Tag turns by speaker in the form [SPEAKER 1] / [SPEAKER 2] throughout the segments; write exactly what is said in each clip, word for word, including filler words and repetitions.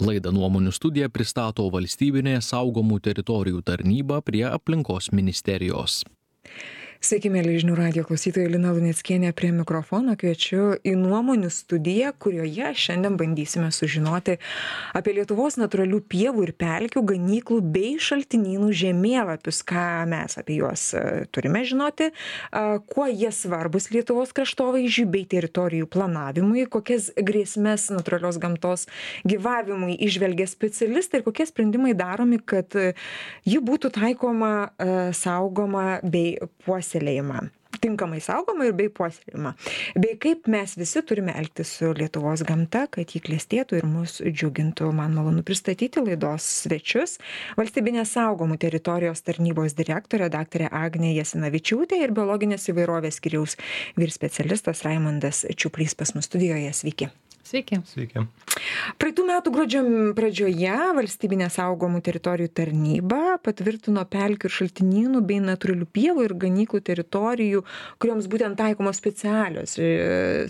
[SPEAKER 1] Laidą Nuomonių studija pristato valstybinė saugomų teritorijų tarnyba prie aplinkos ministerijos.
[SPEAKER 2] Sveiki, mėly žinių radijo klausytojai, Lina Luneckienė prie mikrofono. Kviečiu į Nuomonių studiją, kurioje šiandien bandysime sužinoti apie Lietuvos natūralių pievų ir pelkių, ganyklų bei šaltinynų žemėlapius, ką mes apie juos turime žinoti, kuo jie svarbus Lietuvos kraštovaizdžiui bei teritorijų planavimui, kokias grėsmes natūralios gamtos gyvavimui įžvelgia specialistai ir kokie sprendimai daromi, kad ji būtų taikoma, saugoma bei puoselėjama. Tinkamai saugoma ir bei puoselėjama. Bei kaip mes visi turime elgtis su Lietuvos gamta, kad jį klestėtų ir mus džiugintų. Man malonu pristatyti laidos svečius. Valstybinės saugomų teritorijos tarnybos direktorė daktarė Agnė Jasinavičiūtė ir biologinės įvairovės skyriaus vyr specialistas Raimondas Čiuplys pas mus studijoje. Sveiki.
[SPEAKER 3] Sveiki.
[SPEAKER 4] Sveiki.
[SPEAKER 2] Praeitų metų gruodžio pradžioje Valstybinė saugomų teritorijų tarnyba patvirtino pelkių ir šaltinynų bei natūralių pievų ir ganyklų teritorijų, kurioms būtent taikomos specialios,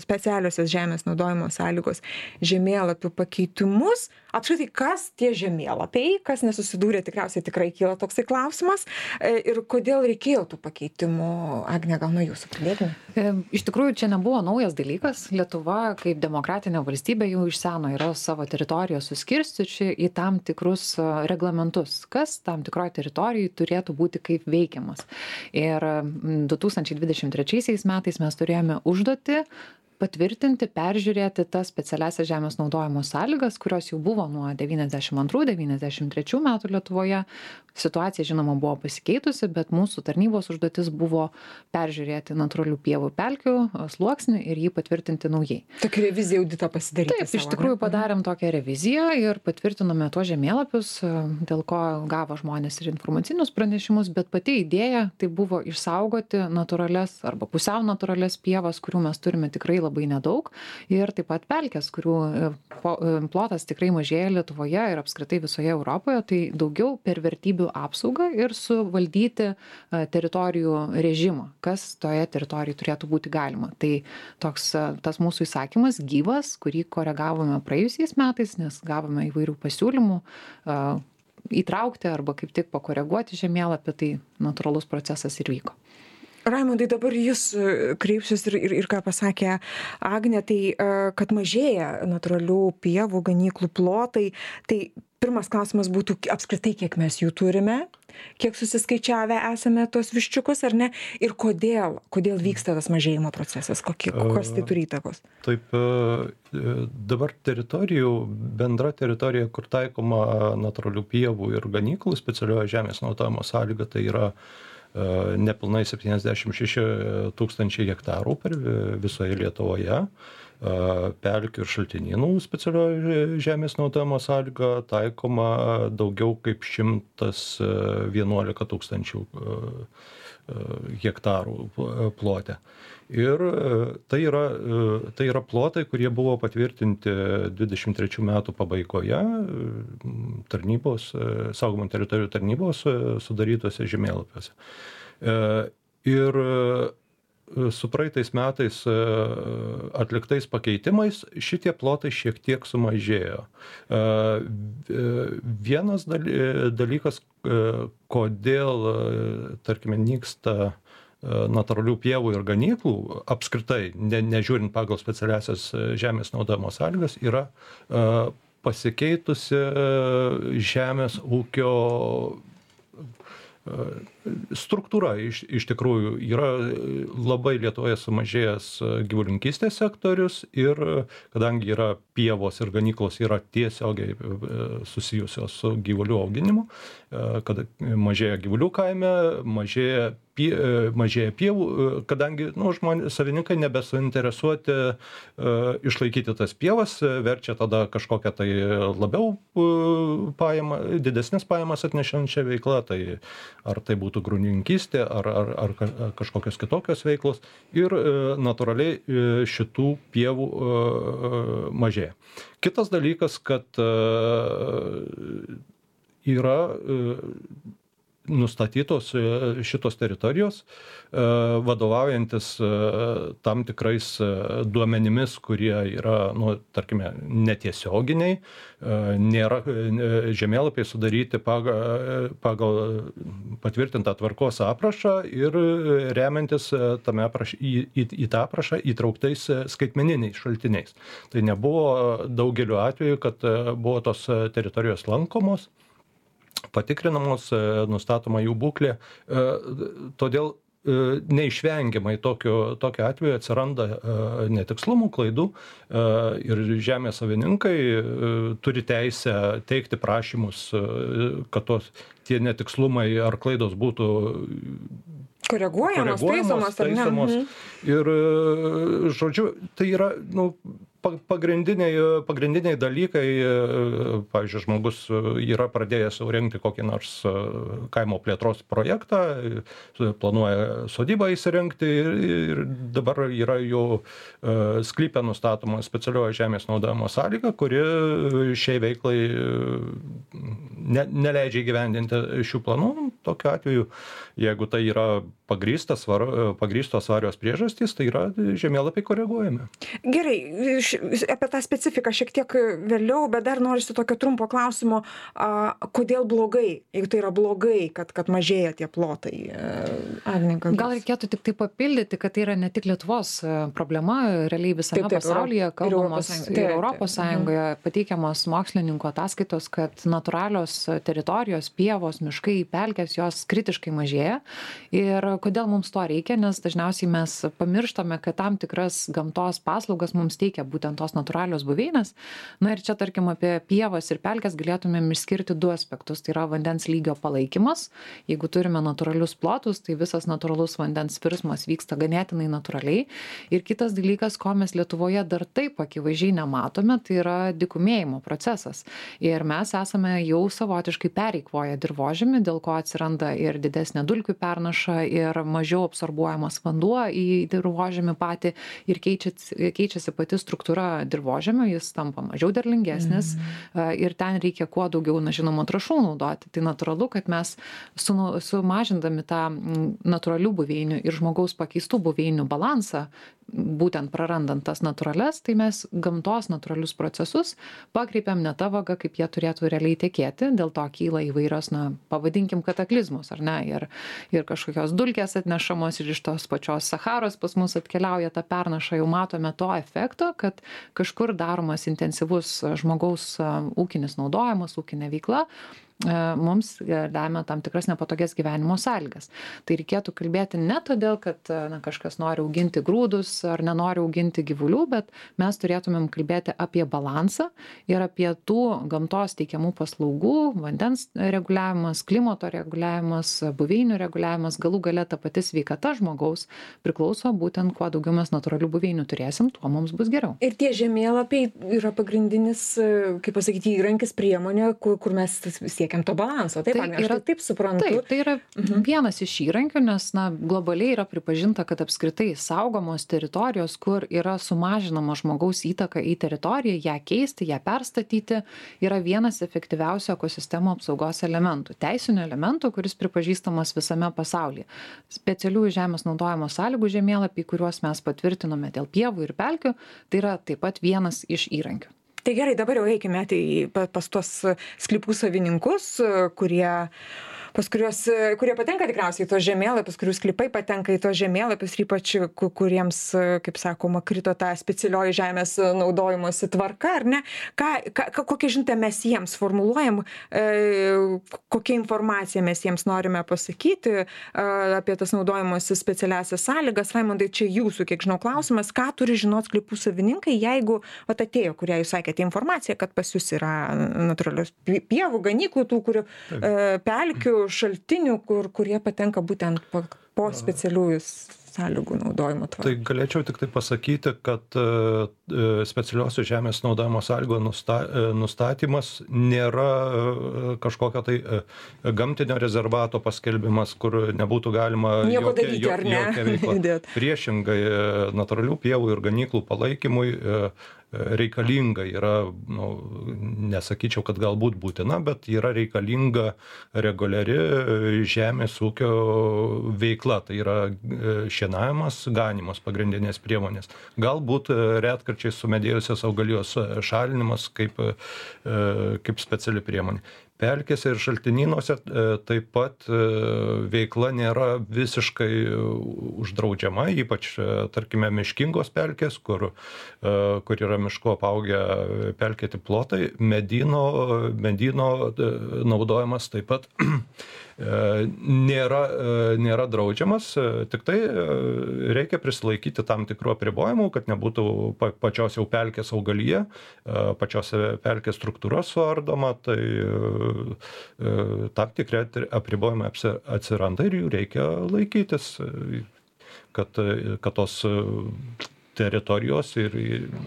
[SPEAKER 2] specialiosios žemės naudojimo sąlygos žemėlapių pakeitimus. Apskritai, kas tie žemėlapiai, kas nesusidūrė, tikriausiai tikrai kyla toksai klausimas. Ir kodėl reikėjo tų pakeitimų? Agne, gal nuo jūsų pradėkime?
[SPEAKER 3] Iš tikrųjų, čia nebuvo naujas dalykas. Lietuva kaip demokratinė valstybė jau iš seno yra savo teritoriją suskirstyči į tam tikrus reglamentus, kas tam tikroje teritorijoje turėtų būti kaip veikiamas. Ir du tūkstančiai dvidešimt trečiaisiais metais mes turėjome užduotį patvirtinti, peržiūrėti tas specialiasias žemės naudojimo sąlygas, kurios jau buvo nuo devyniasdešimt antrų devyniasdešimt trečių metų Lietuvoje. Situacija, žinoma, buvo pasikeitusi, bet mūsų tarnybos užduotis buvo peržiūrėti natūralių pievų pelkių sluoksnį ir jį patvirtinti naujai.
[SPEAKER 2] Tokia revizija audito pasidaryti.
[SPEAKER 3] Taip, iš tikrųjų padarėm tokią reviziją ir patvirtinome tuos žemėlapius, dėl ko gavo žmonės ir informacinius pranešimus, bet pati idėja tai buvo išsaugoti natūralias arba pusiau natūralias pievas, kurių mes turime tikrai labai nedaug, ir taip pat pelkės, kurių plotas tikrai mažėja Lietuvoje ir apskritai visoje Europoje, tai daugiau per vertybių apsaugą ir suvaldyti teritorijų režimą, kas toje teritorijoje turėtų būti galima. Tai toks tas mūsų įsakymas gyvas, kurį koregavome praėjusiais metais, nes gavome įvairių pasiūlymų įtraukti arba kaip tik pakoreguoti žemėlapį, tai natūralus procesas ir vyko.
[SPEAKER 2] Raimondai, dabar jūs kreipsius ir, ir, ir ką pasakė Agnė, tai kad mažėja natūralių pievų, ganyklų plotai, tai pirmas klausimas būtų apskritai, kiek mes jų turime, kiek susiskaičiavę esame tos viščiukus, ar ne, ir kodėl, kodėl vyksta tas mažėjimo procesas, kokie, kokios tai turi įtakos?
[SPEAKER 4] Taip, dabar teritorijų, bendra teritorija, kur taikoma natūralių pievų ir ganyklų specialioji žemės naudojimo sąlyga, tai yra nepilnai septyniasdešimt šeši tūkstančiai hektarų per visoje Lietuvoje. Pelkių ir šaltinynų specialioji žemės naudojimo sąlyga taikoma daugiau kaip šimtas vienuolika tūkstančių hektarų plote. Ir tai yra, tai yra plotai, kurie buvo patvirtinti dvidešimt trečių metų pabaigoje tarnybos, saugomų teritorijų tarnybos sudarytose žemėlapiuose. Ir su praeitais metais atliktais pakeitimais šitie plotai šiek tiek sumažėjo. Vienas dalykas, kodėl, tarkime, nyksta natūralių pievų ir ganyklų, apskritai, ne, nežiūrint pagal specialiasias žemės naudojimo sąlygas, yra pasikeitusi žemės ūkio struktūra. Iš, iš tikrųjų yra labai Lietuvoje sumažėjęs gyvulininkystės sektorius ir kadangi yra pievos ir ganyklos yra tiesiogiai susijusios su gyvulių auginimu, kad mažėja gyvulių kaime, mažėja pie, mažėja pievų, kadangi nu, žmonės, savininkai nebesuinteresuoti uh, išlaikyti tas pievas, verčia tada kažkokią tai labiau uh, pajamą, didesnės pajamas atnešančią veiklą, tai ar tai būtų grūdininkystė, ar, ar, ar kažkokios kitokios veiklos, ir uh, natūraliai uh, šitų pievų uh, mažėja. Kitas dalykas, kad uh, yra uh, nustatytos šitos teritorijos, vadovaujantis tam tikrais duomenimis, kurie yra, nu, tarkime, netiesioginiai, nėra žemėlapiai sudaryti pagal, pagal patvirtintą tvarkos aprašą ir remiantis tame apraš, į, į, į tą aprašą įtrauktais skaitmeniniais šaltiniais. Tai nebuvo daugeliu atveju, kad buvo tos teritorijos lankomos, patikrinamos, nustatoma jų būklė. Todėl neišvengiamai tokio, tokio atveju atsiranda netikslumų, klaidų ir žemės savininkai turi teisę teikti prašymus, kad tos, tie netikslumai ar klaidos būtų
[SPEAKER 2] koreguojamos, taisomos, taisomos.
[SPEAKER 4] Ir, žodžiu, tai yra, nu, pagrindiniai, pagrindiniai dalykai, pavyzdžiui, žmogus yra pradėjęs jau rengti kokį nors kaimo plėtros projektą, planuoja sodybą įsirengti ir dabar yra jau sklype nustatoma specialioji žemės naudojimo sąlyga, kuri šiai veiklai ne, neleidžia įgyvendinti šių planų. Tokiu atveju, jeigu tai yra pagrįstas, pagrįstos svarios priežastys, tai yra žemėlapiai koreguojami.
[SPEAKER 2] Gerai, apie tą specifiką šiek tiek vėliau, bet dar norisi tokio trumpo klausimo, a, kodėl blogai, jeigu tai yra blogai, kad, kad mažėja tie plotai. Agnininkas.
[SPEAKER 3] Gal reikėtų tik tai papildyti, kad tai yra ne tik Lietuvos problema, realiai visame taip, taip, pasaulyje, kalbamos ir Europos Sąjungoje, pateikiamos mokslininkų ataskaitos, kad natūralios teritorijos, pievos, miškai, pelkės, jos kritiškai mažėja. Ir kodėl mums to reikia, nes dažniausiai mes pamirštame, kad tam tikras gamtos paslaugas mums teikia būtent tos natūralios buveinės. Na ir čia, tarkim, apie pievas ir pelkes galėtumėm išskirti du aspektus. Tai yra vandens lygio palaikymas. Jeigu turime natūralius plotus, tai visas natūralus vandens virsmas vyksta ganėtinai natūraliai. Ir kitas dalykas, ko mes Lietuvoje dar taip akivaizdžiai nematome, tai yra dykumėjimo procesas. Ir mes esame jau savotiškai pereikvoję dirvožemį, dėl ko atsiranda ir didesnė dulkių pernaša, ir mažiau absorbuojamas vanduo į dirvožemį patį ir keičiasi, keičiasi pati struktūra dirvožemio, jis tampa mažiau derlingesnis mm. ir ten reikia kuo daugiau, na, žinoma, trąšų naudoti. Tai natūralu, kad mes su, sumažindami tą natūralių buveinių ir žmogaus pakeistų buveinių balansą, būtent prarandant tas natūrales, tai mes gamtos natūralius procesus pakreipiam ne tą vagą, kaip jie turėtų realiai tekėti, dėl to kyla įvairios, na, pavadinkim kataklizmus, ar ne, ir, ir kažkokios dulkės atnešamos ir iš tos pačios Saharos pas mus atkeliauja ta pernaša, jau matome to efekto, kad kažkur daromas intensyvus žmogaus ūkinis naudojimas, ūkinė veikla, mums lemia tam tikras nepatogias gyvenimo sąlygas. Tai reikėtų kalbėti ne todėl, kad na, kažkas nori auginti grūdus ar nenori auginti gyvulių, bet mes turėtumėm kalbėti apie balansą ir apie tų gamtos teikiamų paslaugų, vandens reguliavimas, klimato reguliavimas, buveinių reguliavimas, galų gale ta pati sveikata žmogaus priklauso būtent kuo daugiau mes natūralių buveinių turėsim, tuo mums bus geriau.
[SPEAKER 2] Ir tie žemėlapiai yra pagrindinis, kaip pasakyti, įrankis, priemonė, kur, kur mes siekiame to balanso. Taip, tai yra, taip suprantu.
[SPEAKER 3] Taip, tai yra mhm. vienas iš įrankių, nes na, globaliai yra pripažinta, kad apskritai saugomos teritorijos, kur yra sumažinama žmogaus įtaka į teritoriją, ją keisti, ją perstatyti, yra vienas efektyviausių ekosistemų apsaugos elementų. Teisinių elementų, kuris pripažįstamas visame pasaulyje. Specialiųjų žemės naudojimo sąlygų žemėlapiai, kuriuos mes patvirtinome dėl pievų ir pelkių, tai yra taip pat vienas iš įrankių.
[SPEAKER 2] Tai gerai, dabar jau eikime tai pas tuos sklypų savininkus, kurie, pas kuriuos, kurie patenka tikriausiai į tos žemėlapius, kurių sklypai patenka į tos žemėlapius, ir ypač kuriems, kaip sakoma, krito ta specialioji žemės naudojimosi tvarka, ar ne? Ką, ką, kokią žinutę mes jiems formuluojam, e, kokią informaciją mes jiems norime pasakyti e, apie tas naudojimosi specialiasias sąlygas. Raimondai, čia jūsų, kiek žinau, klausimas, ką turi žinoti sklypų savininkai, jeigu vat atėjo, kurią jūs sakėte, informacija, kad pas jūs yra natūralios pievų, ganyklų, tų, kurių e, pelkių, šaltinių, kur, kurie patenka būtent po, po specialiųjų sąlygų naudojimo tvarką.
[SPEAKER 4] Tai galėčiau tik tai pasakyti, kad specialiosios žemės naudojimo sąlygų nusta, nustatymas nėra kažkokio tai gamtinio rezervato paskelbimas, kur nebūtų galima
[SPEAKER 2] nieko jokia, daryti, ar ne?
[SPEAKER 4] Jokia veikla. Priešingai, natūralių pievų ir ganyklų palaikymui reikalinga yra, nu, nesakyčiau, kad galbūt būtina, bet yra reikalinga reguliari žemės ūkio veikla, tai yra šienavimas, ganimas pagrindinės priemonės. Galbūt retkarčiais sumedėjusios augalijos šalinimas kaip, kaip speciali priemonė. Pelkėse ir šaltinynuose taip pat veikla nėra visiškai uždraudžiama, ypač, tarkime, miškingos pelkės, kur, kur yra miško apaugę pelkėti plotai, medyno, medyno naudojimas taip pat nėra, nėra draudžiamas, tik tai reikia prisilaikyti tam tikrų apribojimų, kad nebūtų pačios jau pelkės augalyje, pačios pelkės struktūra suardoma, tai tam tikri apribojimai atsiranda ir jų reikia laikytis, kad, kad tos teritorijos ir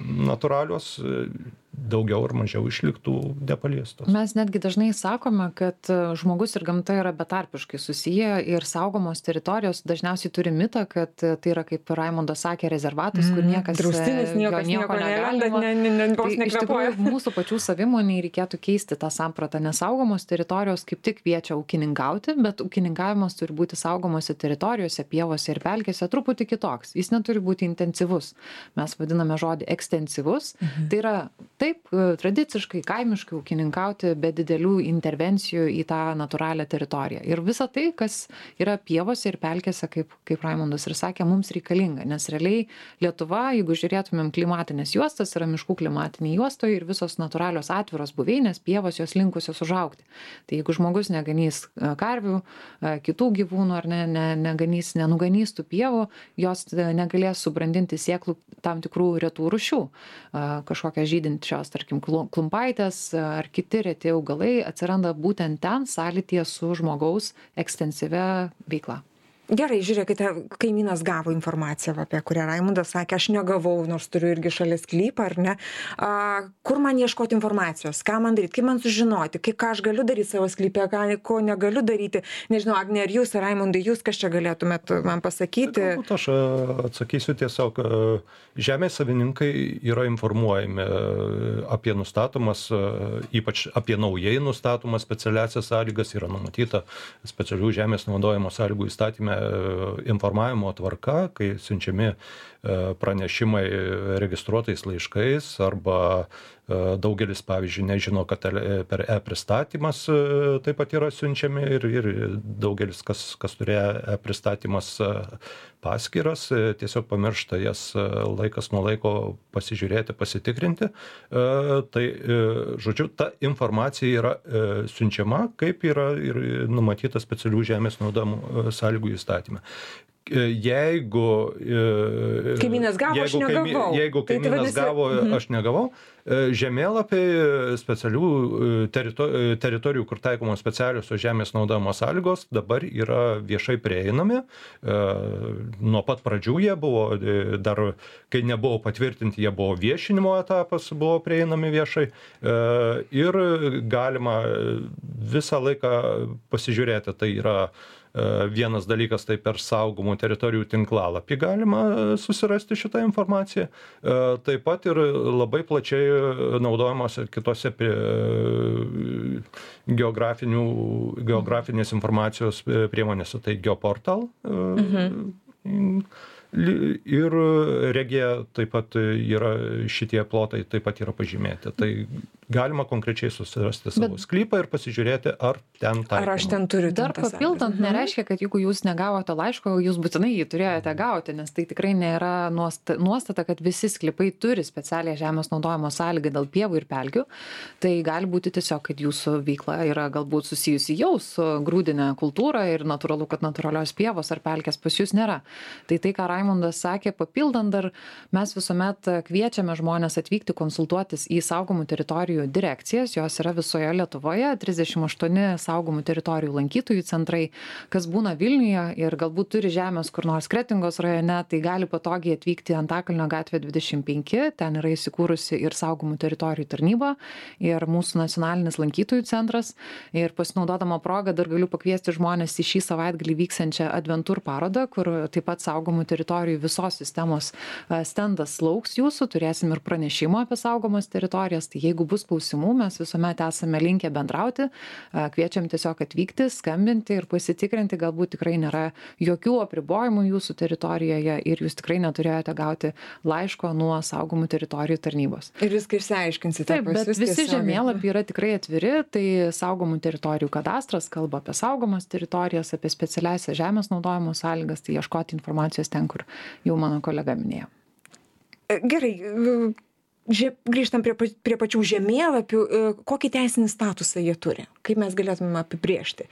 [SPEAKER 4] natūralios daugiau ar mažiau išliktų nepaliestos.
[SPEAKER 3] Mes netgi dažnai sakome, kad žmogus ir gamta yra betarpiškai susiję ir saugomos teritorijos dažniausiai turi mitą, kad tai yra, kaip Raimondas sakė, rezervatas, kur niekas,
[SPEAKER 2] Draustinis, niekas
[SPEAKER 3] nieko
[SPEAKER 2] nieko
[SPEAKER 3] negalima.
[SPEAKER 2] nelenda, ne, ne, ne, vos
[SPEAKER 3] Tai iš
[SPEAKER 2] nekvėpuoja.
[SPEAKER 3] tikrųjų mūsų pačių savimoniai reikėtų keisti tą sampratą, nes saugomos teritorijos kaip tik kviečia ūkininkauti, bet ūkininkavimas turi būti saugomose teritorijose, pievose ir pelkėse truputį kitoks. Jis neturi būti intensyvus. Mes vadiname žodį ekstensyvus. Mhm. Tai yra taip tradiciškai, kaimiškai ūkininkauti be didelių intervencijų į tą natūralią teritoriją. Ir visa tai, kas yra pievose ir pelkėse, kaip, kaip Raimondas ir sakė, mums reikalinga, nes realiai Lietuva, jeigu žiūrėtumėm klimatinės juostas, yra miškų klimatinė juostoje ir visos natūralios atviros buveinės, pievos jos linkusios užaugti. Tai jeigu žmogus neganys karvių, kitų gyvūnų ar ne, ne, neganys, nenuganys tų pievų, jos negalės subrandinti sėklų tam tikrų retų rūšių, kažkokią žydinčios, tarkim, klumpaitės ar kiti reti augalai atsiranda būtent ten sąlytyje su žmogaus ekstensyvia veikla.
[SPEAKER 2] Gerai, žiūrėkite, kaimynas gavo informaciją, apie kurią Raimundas sakė, aš negavau, nors turiu irgi šalia sklypą, ar ne. A, kur man ieškoti informacijos, ką man daryti, kaip man sužinoti, kaip, ką aš galiu daryti savo sklypę, ką, ko negaliu daryti. Nežinau, Agne, ar jūs, ar Raimundai, jūs kas čia galėtumėt man pasakyti?
[SPEAKER 4] Galbūt aš atsakysiu tiesiog, žemės savininkai yra informuojami apie nustatomas, ypač apie naujai nustatomas specialiasias sąlygas, yra numatyta specialių žemės naudojimo sąlygų įstatyme informavimo tvarka, kai siunčiami pranešimai registruotais laiškais arba daugelis, pavyzdžiui, nežino, kad per e-pristatymas taip pat yra siunčiami ir, ir daugelis, kas, kas turėjo e-pristatymas paskyras, tiesiog pamiršta jas laikas nuo laiko pasižiūrėti, pasitikrinti. Tai, žodžiu, ta informacija yra siunčiama, kaip yra ir numatyta specialių žemės naudojimo sąlygų įstatyme. Jeigu
[SPEAKER 2] kaimynas gavo,
[SPEAKER 4] jeigu,
[SPEAKER 2] aš negavau.
[SPEAKER 4] Jeigu kaimynas tai vadinasi... gavo, aš negavau, žemėlapiai specialių teritorijų, teritorijų, kur taikomos specialiosios žemės naudojimo sąlygos, dabar yra viešai prieinami. Nuo pat pradžių jie buvo, dar kai nebuvo patvirtinti, jie buvo viešinimo etapas, buvo prieinami viešai. Ir galima visą laiką pasižiūrėti, tai yra vienas dalykas, tai per saugomų teritorijų tinklalapį galima susirasti šitą informaciją. Taip pat ir labai plačiai naudojamos kitose geografinės informacijos priemonėse, tai Geoportal. Mhm. Ir Regija taip pat yra, šitie plotai taip pat yra pažymėti. Tai galima konkrečiai susirasti savo Bet, sklypą ir pasižiūrėti, ar ten taikoma.
[SPEAKER 2] Ar aš ten turiu.
[SPEAKER 3] Dar papildant, nereiškia, kad jeigu jūs negavote laiško, jūs būtinai jį turėjote gauti, nes tai tikrai nėra nuostata, kad visi sklypai turi specialią žemės naudojimo sąlygą dėl pievų ir pelkių. Tai gali būti tiesiog, kad jūsų veikla yra galbūt susijusi jau su grūdinė kultūra ir natūralu, kad natūralios pievos ar pelkės pas jūs nėra. Tai tai, ką Raimundas sakė, papildant dar, mes visuomet kviečiame žmonės atvykti konsultuotis į saugomų teritorijų teritorijų direkcijas, jos yra visoje Lietuvoje, trisdešimt aštuoni saugomų teritorijų lankytojų centrai, kas būna Vilniuje ir galbūt turi žemės kur nors Kretingos rajone, tai gali patogiai atvykti Antakalnio gatvė dvidešimt penki, ten yra įsikūrusi ir saugomų teritorijų tarnyba, ir mūsų nacionalinis lankytojų centras. Ir pasinaudodama progą dar galiu pakviesti žmonės į šį savaitgalį vyksiančią Adventur parodą, kur taip pat saugomų teritorijų visos sistemos stendas lauks jūsų, turėsim ir pranešimą apie saugomas teritorijas, tai jeigu bus klausimų, mes visuomet esame linkę bendrauti, kviečiam tiesiog atvykti, skambinti ir pasitikrinti, galbūt tikrai nėra jokių apribojimų jūsų teritorijoje ir jūs tikrai neturėjote gauti laiško nuo saugomų teritorijų tarnybos.
[SPEAKER 2] Ir viską išsiaiškinsite.
[SPEAKER 3] Taip, bet visi žemėlapiai yra tikrai atviri, tai saugomų teritorijų kadastras kalba apie saugomas teritorijas, apie specialiasias žemės naudojimo sąlygas, tai ieškoti informacijos ten, kur jau mano kolega minėjo.
[SPEAKER 2] Gerai, žie, grįžtam prie, prie pačių žemėlapių, kokį teisinį statusą jie turi, kaip mes galėtume apibrėžti.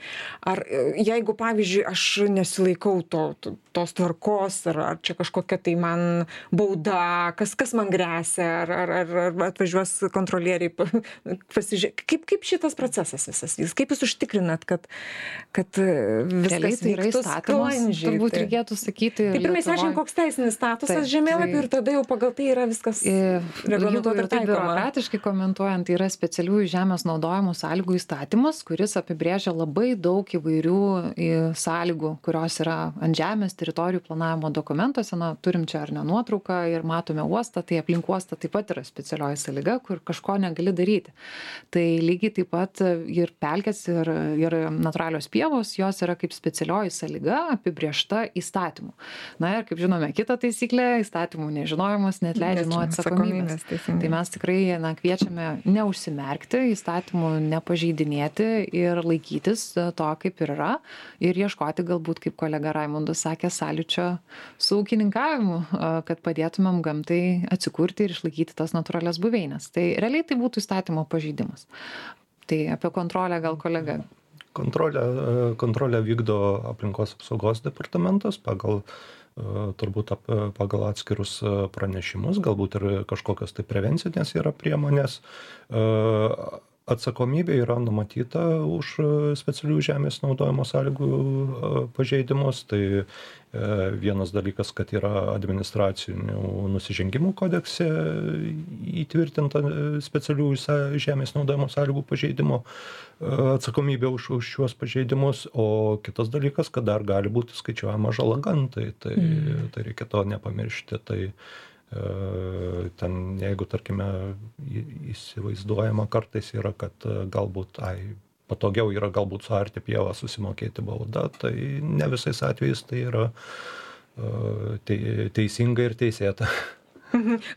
[SPEAKER 2] Ar jeigu, pavyzdžiui, aš nesilaikau to, to, tos tvarkos, ar, ar čia kažkokia tai man bauda, kas, kas man gresia, ar, ar, ar, ar atvažiuos kontrolieriai pasižiūrėti, kaip, kaip šitas procesas visas, kaip jūs užtikrinat, kad, kad viskas
[SPEAKER 3] tai yra įstatymas, turbūt
[SPEAKER 2] tai.
[SPEAKER 3] Reikėtų sakyti.
[SPEAKER 2] Tai pirmai aiškiai, koks teisinis statusas taip, žemėlapių tai, ir tada jau pagal tai yra viskas reglamentuota ir taikoma.
[SPEAKER 3] Biurokratiškai komentuojant, tai yra specialiųjų žemės naudojimo sąlygų įstatymas, kuris apibrėžia labai daug įvairių sąlygų, kurios yra ant žemės teritorijų planavimo dokumentuose. Na, turim čia ar ne nuotrauką ir matome uostą, tai aplink uostą taip pat yra specialioji sąlyga, kur kažko negali daryti. Tai lygiai taip pat ir pelkės, ir, ir natūralios pievos, jos yra kaip specialioji sąlyga apibrėžta įstatymu. Na ir kaip žinome, kita taisyklė, įstatymų nežinojimas neatleidžia nuo atsakomybės. Tai mes tikrai na, kviečiame neužsimerkti, įstatymų nepažeidinėti ir laikytis to, kaip ir yra, ir ieškoti galbūt, kaip kolega Raimundas sakė, sąlyčio su ūkininkavimu, kad padėtumėm gamtai atsikurti ir išlaikyti tas natūralias buveinės. Tai realiai tai būtų įstatymo pažeidimas. Tai apie kontrolę gal kolega.
[SPEAKER 4] Kontrolę, kontrolę vykdo aplinkos apsaugos departamentas pagal turbūt pagal atskirus pranešimus, galbūt ir kažkokios tai prevencinės yra priemonės. Atsakomybė yra numatyta už specialių žemės naudojimo sąlygų pažeidimus. Tai vienas dalykas, kad yra administracinių nusižengimų kodekse įtvirtinta specialių žemės naudojimo sąlygų pažeidimo atsakomybė už, už šiuos pažeidimus, o kitas dalykas, kad dar gali būti skaičiuojama žala gamtai, tai, mm. tai reikia to nepamiršti. Tai ten, jeigu, tarkime, įsivaizduojama kartais yra, kad galbūt ai, patogiau yra galbūt suarti pievą, susimokėti baudą, tai ne visais atvejais tai yra te, teisinga ir teisėta.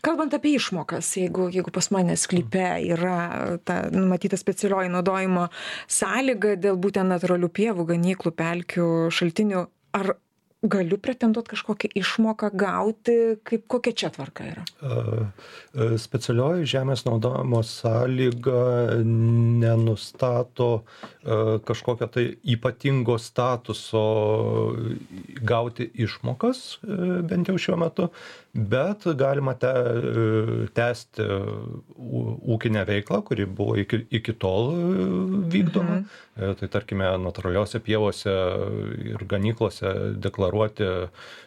[SPEAKER 2] Kalbant apie išmokas, jeigu, jeigu pas mane sklype yra ta numatyta specialioji naudojimo sąlyga dėl būtent natūralių pievų, ganyklų, pelkių, šaltinių, ar galiu pretenduoti kažkokią išmoką gauti, kaip kokia čia tvarka yra?
[SPEAKER 4] Specialioji žemės naudojimo sąlyga nenustato kažkokio tai ypatingo statuso gauti išmokas, bent jau šiuo metu, bet galima te, tęsti ūkinę veiklą, kuri buvo iki, iki tol vykdoma. Mhm. Tai tarkime, natūraliuose pievose ir ganyklose deklaruoti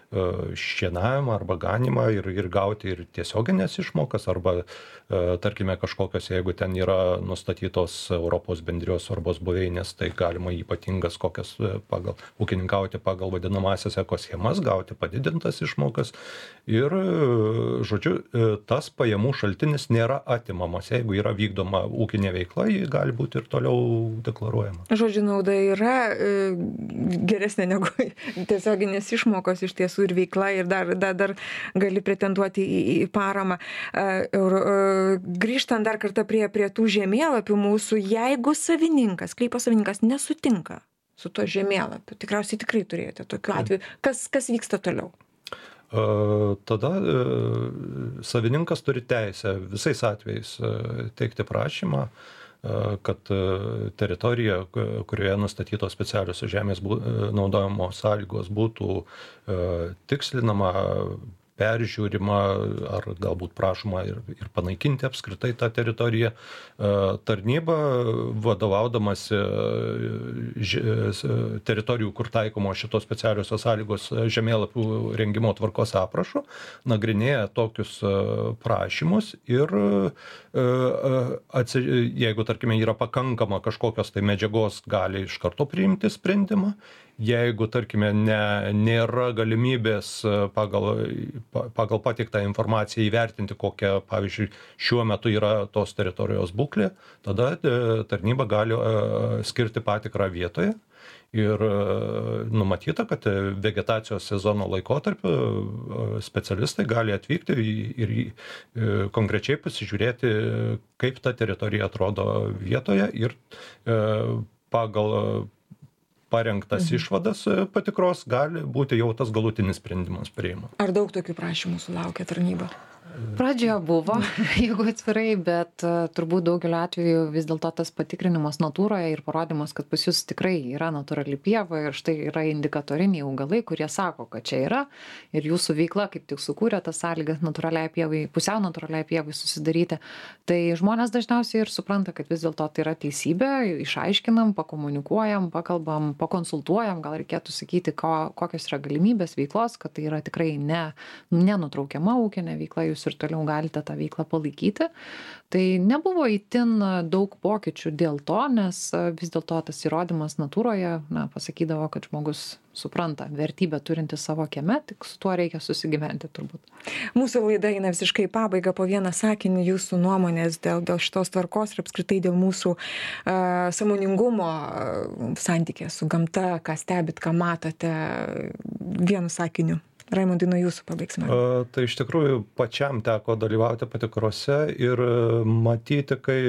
[SPEAKER 4] šienavimą arba ganimą ir, ir gauti ir tiesioginės išmokas, arba tarkime kažkokios, jeigu ten yra nustatytos Europos bendrijos svarbos buveinės, tai galima ypatingas kokias pagal ūkininkauti pagal vadinamąsias ekoschemas, gauti padidintas išmokas. Ir, žodžiu, tas pajamų šaltinis nėra atimamas. Jeigu yra vykdoma ūkinė veikla, ji gali būti ir toliau deklaruojama.
[SPEAKER 2] Žodžiu, nauda yra geresnė negu tiesioginės išmokos iš tiesų ir veikla, ir dar, dar, dar gali pretenduoti į, į paramą. Grįžtant dar kartą prie, prie tų žemėlapių mūsų, jeigu savininkas, sklypo savininkas nesutinka su to žemėlapiu, tikriausiai tikrai turėjote tokiu atveju, kas, kas vyksta toliau?
[SPEAKER 4] Tada savininkas turi teisę visais atvejais teikti prašymą, kad teritorija, kurioje nustatytos specialios žemės naudojimo sąlygos, būtų tikslinama, peržiūrima ar galbūt prašoma ir, ir panaikinti apskritai tą teritoriją. Tarnyba, vadovaudamasi teritorijų, kur taikomo šitos specialiosios sąlygos žemėlapių rengimo tvarkos aprašų, nagrinėja tokius prašymus ir atsi, jeigu, tarkime, yra pakankama kažkokios tai medžiagos, gali iš karto priimti sprendimą. Jeigu, tarkime, ne, nėra galimybės pagal, pagal patiktą informaciją įvertinti, kokia, pavyzdžiui, šiuo metu yra tos teritorijos būklė, tada tarnyba gali skirti patikrą vietoje. Ir numatyta, kad vegetacijos sezono laikotarpiu specialistai gali atvykti ir konkrečiai pasižiūrėti, kaip ta teritorija atrodo vietoje ir pagal parengtas mhm. išvadas patikros gali būti jau tas galutinis sprendimas priimamas.
[SPEAKER 2] Ar daug tokių prašymų sulaukia tarnyba?
[SPEAKER 3] Pradžioje buvo, jeigu atvirai, bet uh, turbūt daugeliu atveju vis dėlto tas patikrinimas natūroje ir parodymas, kad pas jūs tikrai yra natūrali pieva ir štai yra indikatoriniai augalai, kurie sako, kad čia yra ir jūsų veikla kaip tik sukūrė tas sąlygas natūraliai pievai, pusiau natūraliai pievai susidaryti. Tai žmonės dažniausiai ir supranta, kad vis dėlto tai yra teisybė, išaiškinam, pakomunikuojam, pakalbam, pakonsultuojam, gal reikėtų sakyti, ko, kokios yra galimybės veiklos, kad tai yra tikrai ne, nenutraukiama ūkinė veikla, jūs ir toliau galite tą veiklą palaikyti. Tai nebuvo itin daug pokyčių dėl to, nes vis dėlto tas įrodymas natūroje, na, pasakydavo, kad žmogus supranta vertybę turinti savo kieme, tik su tuo reikia susigyventi turbūt.
[SPEAKER 2] Mūsų laida eina visiškai į pabaigą, po vieną sakinį jūsų nuomonės dėl, dėl šitos tvarkos ir apskritai dėl mūsų uh, sąmoningumo uh, santykė su gamta, ką stebit, ką matote, vienu sakiniu. Raimondai, nuo jūsų pabaigsime.
[SPEAKER 4] A, tai iš tikrųjų pačiam teko dalyvauti patikrose ir matyti, kai,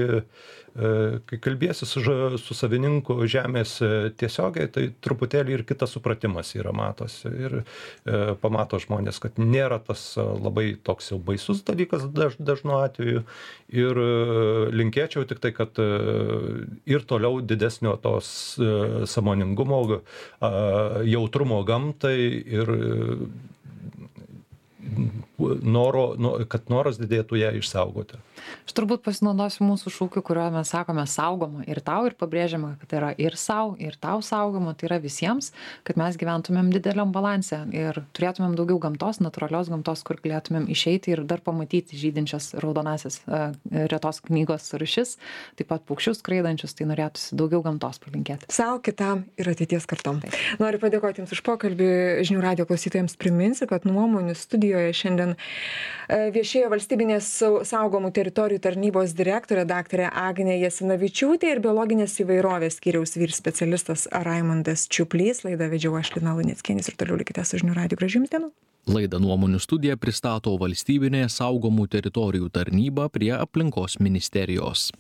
[SPEAKER 4] kai kalbėsi su, su savininku žemės tiesiogiai, tai truputėlį ir kitas supratimas yra matosi. Ir e, pamato žmonės, kad nėra tas labai toks jau baisus dalykas daž, dažnu atveju. Ir linkėčiau tik tai, kad ir toliau didesnio tos sąmoningumo, jautrumo gamtai ir noro, kad noras didėtų ją išsaugoti.
[SPEAKER 3] Aš turbūt pasinaudosiu mūsų šūkiu, kurio mes sakome saugoma ir tau ir pabrėžiama, kad tai yra ir sau, ir tau saugoma, tai yra visiems, kad mes gyventumėm dideliam balanse ir turėtumėm daugiau gamtos, natūralios gamtos, kur galėtumėm išeiti ir dar pamatyti žydinčias raudonasias uh, retos knygos rūšis, taip pat paukščius skraidančius, tai norėtųsi daugiau gamtos palinkėti.
[SPEAKER 2] Sau, kitam ir ateities kartom. Taip. Noriu padėkoti Jums už pokalbį. Žinių radijo klausytojams priminsiu, kad nuomonių studijoje šiandien viešėjo valstybinės saugomų teritorijų tarnybos direktorė daktarė Agnė Jasinavičiūtė ir biologinės įvairovės skyriaus vyr specialistas Raimondas Čiuplys. Laidą vedžiau aš, Lina Luneckienė, ir toliau likite su Žinių radiju. Gražių Jums dienų.
[SPEAKER 1] Laidą Nuomonių studija pristato valstybinė saugomų teritorijų tarnyba prie aplinkos ministerijos.